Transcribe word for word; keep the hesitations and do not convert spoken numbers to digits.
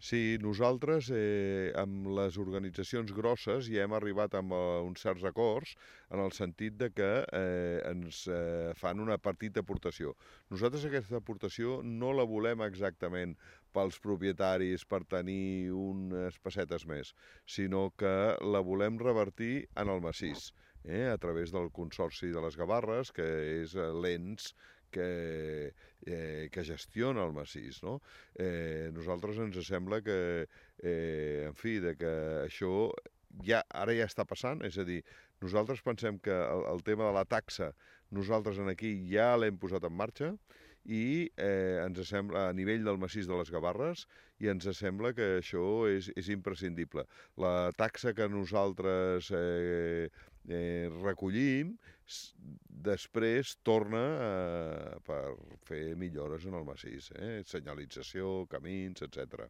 Sí, nosaltres eh, amb les organitzacions grosses ja hem arribat amb eh, uns certs acords en el sentit de que eh, ens eh, fan una petita aportació. Nosaltres aquesta aportació no la volem exactament pels propietaris per tenir unes pessetes més, sinó que la volem revertir en el massís, eh, a través del Consorci de les Gavarres, que és eh, l'ens que, eh, que gestiona el massís, no? Eh, nosaltres ens sembla que, eh, en fi, de que això ja, ara ja està passant, és a dir, nosaltres pensem que el, el tema de la taxa nosaltres en aquí ja l'hem posat en marxa i eh, ens sembla a nivell del massís de les Gavarres i ens sembla que això és, és imprescindible. La taxa que nosaltres eh, eh, recollim després torna eh, per fer millores en el massís, eh? Senyalització, camins, etcètera.